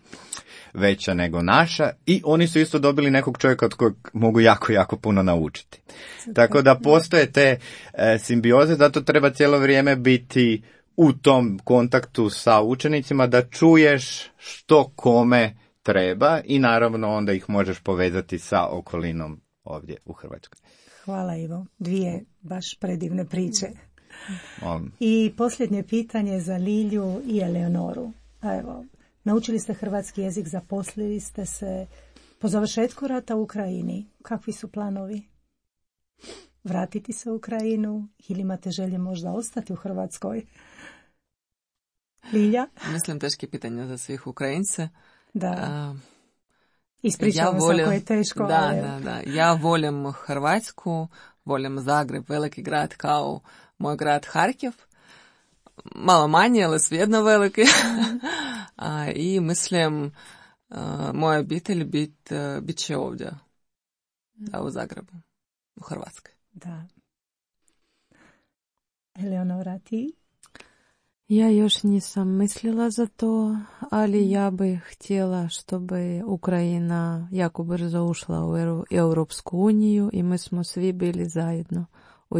veća nego naša i oni su isto dobili nekog čovjeka od kojeg mogu jako puno naučiti. Tako da postoje te simbioze, zato treba cijelo vrijeme biti u tom kontaktu sa učenicima da čuješ što kome treba i naravno onda ih možeš povezati sa okolinom ovdje u Hrvatskoj. Hvala Ivo, 2 baš predivne priče. I posljednje pitanje za Lilju i Eleonoru. Evo, naučili ste hrvatski jezik, zaposlili ste se po završetku rata u Ukrajini. Kakvi su planovi? Vratiti se u Ukrajinu ili imate želje možda ostati u Hrvatskoj? Lilja? Mislim, teške pitanja za svih Ukrajince. Da. Ispričavam se ako je teško. Da. Ja volim Hrvatsku, volim Zagreb, veliki grad kao moj grad Harkiv. Malo manje, ali svejedno veliki. I mislim, moja obitelj bit će ovdje, u Zagrebu, u Hrvatskoj. Da. Eleonora, ti? Ja još nisam mislila za to, ali ja bih htjela чтобы Ukrajina jako brzo ušla u Europsku uniju i mi smo svi bili zajedno u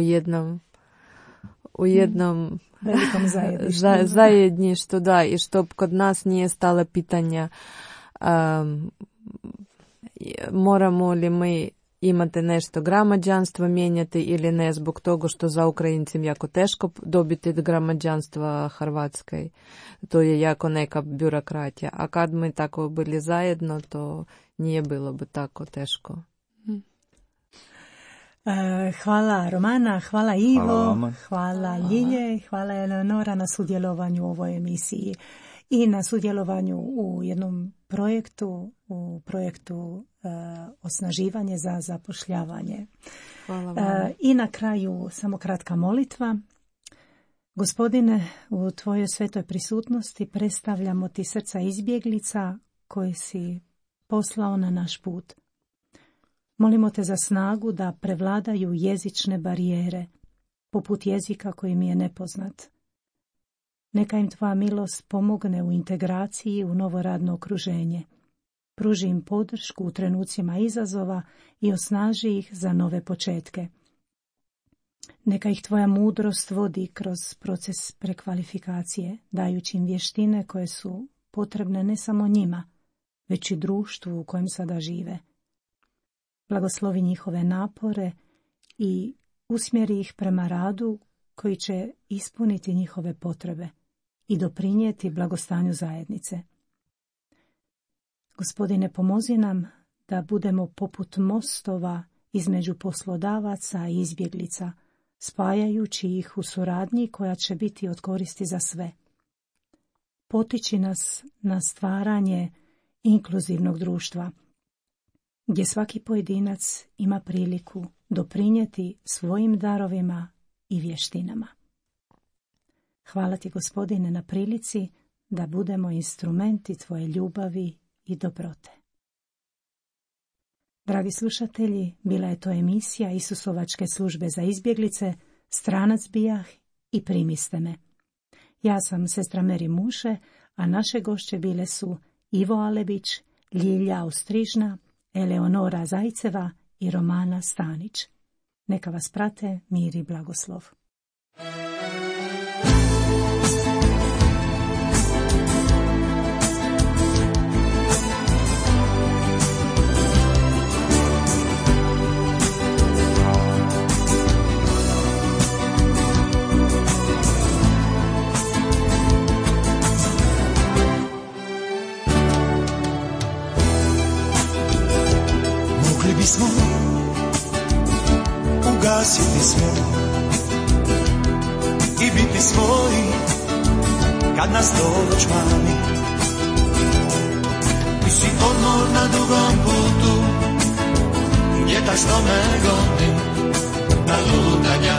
jednom velikom zajedništvu, da, i što kod nas nije stalo pitanja moramo li mi imate nešto građanstva mijenjati ili ne, zbog toga što za Ukrajincima jako teško dobiti građanstva Hrvatskoj. To je jako neka birokratija. A kad mi tako bili zajedno, to nije bilo bi tako teško. Hvala Romana, hvala Ivo, hvala Ljilje, hvala Eleonora na sudjelovanju u ovoj emisiji i na sudjelovanju u jednom projektu osnaživanje za zapošljavanje. Hvala vam. I na kraju samo kratka molitva. Gospodine, u tvojoj svetoj prisutnosti predstavljamo ti srca izbjeglica koje si poslao na naš put. Molimo te za snagu da prevladaju jezične barijere, poput jezika koji mi je nepoznat. Neka im tvoja milost pomogne u integraciji u novo radno okruženje. Pruži im podršku u trenucima izazova i osnaži ih za nove početke. Neka ih tvoja mudrost vodi kroz proces prekvalifikacije, dajući im vještine koje su potrebne ne samo njima, već i društvu u kojem sada žive. Blagoslovi njihove napore i usmjeri ih prema radu koji će ispuniti njihove potrebe i doprinijeti blagostanju zajednice. Gospodine, pomozi nam da budemo poput mostova između poslodavaca i izbjeglica, spajajući ih u suradnji koja će biti od koristi za sve. Potiči nas na stvaranje inkluzivnog društva, gdje svaki pojedinac ima priliku doprinijeti svojim darovima i vještinama. Hvala ti, Gospodine, na prilici da budemo instrumenti tvoje ljubavi i dobrote. Dragi slušatelji, bila je to emisija Isusovačke službe za izbjeglice, Stranac bijah i Primiste me. Ja sam sestra Meri Muše, a naše gošće bile su Ivo Alebić, Ljilja Austrižna, Eleonora Zajceva i Romana Stanić. Neka vas prate mir i blagoslov. Bismo ugasiti sve i biti svoji kad nas to već mami. Ti si odmor na dugom putu, vjetar što me goni na lutanja,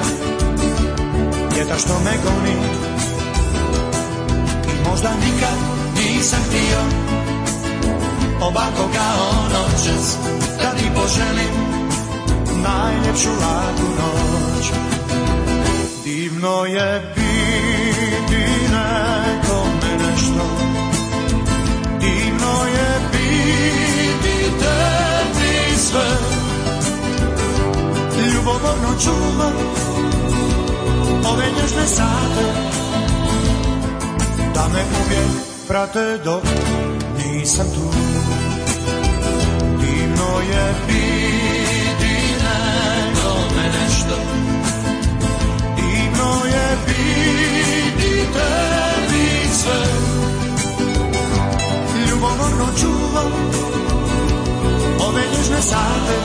vjetar što me goni. I možda nikad nisam htio ovako kao noćas, da ti poželim najljepšu laku noć. Divno je biti nekome nešto, divno je biti tebi sve. Ljubomorno čuvam ove nježne sate, da me uvijek prate dok nisam tu. Divno je biti nekome nešto, divno je biti tebi sve. Ljubomorno čuvam ove nježne sate,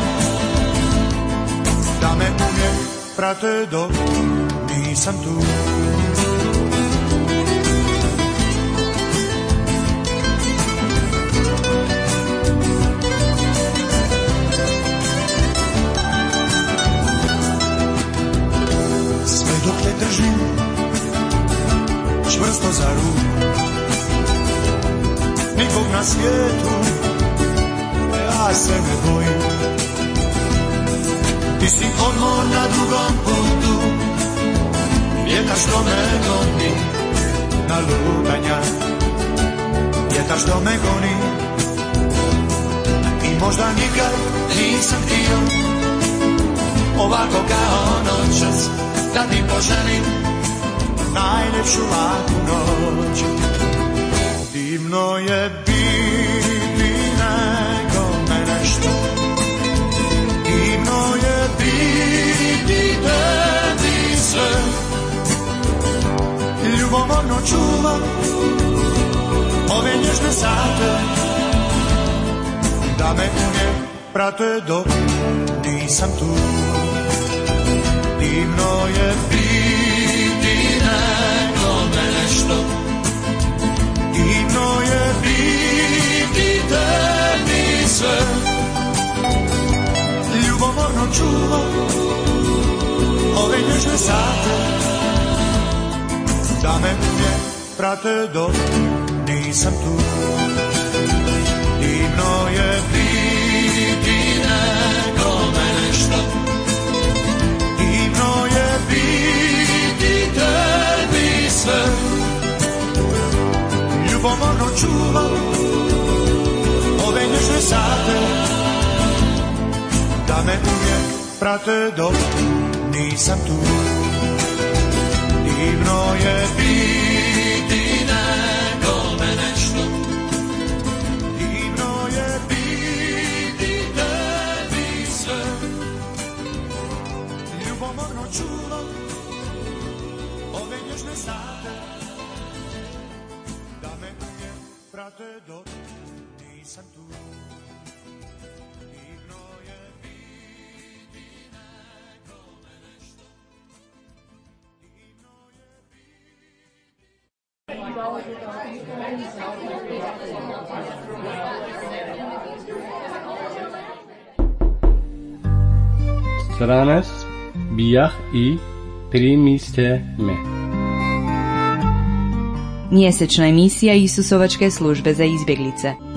da me uvijek prate dok nisam tu. Dok te držim čvrsto za ruku, nikog na svijetu ja se ne bojim. Ti si odmor na dugom putu, vjetar što me goni na lutanja, vjetar što me goni. I možda nikad nisam htio ovako kao noćas, da ti poželim najljepšu laku noć. Divno je biti nekome nešto, divno je biti tebi sve. Ljubomorno čuvam ove nježne sate, da me uvijek prate dok nisam tu. Divno je biti nekome nešto, divno je biti tebi sve. Ljubomorno čuvam ove nježne sate, da me uvijek prate dok nisam tu. Divno je biti nekome nešto, divno je biti tebi sve. Ljubomorno čuvam ove nježne sate, da me uvijek prate dok nisam tu. Divno je biti nekome nešto, divno je biti tebi sve. Ljubomorno čuvam ove nježne sate, da me uvijek prate dok nisam tu. Divno je biti nekome nešto, divno je biti... Stranas bijah i primiste me. Mjesečna emisija Isusovačke službe za izbjeglice.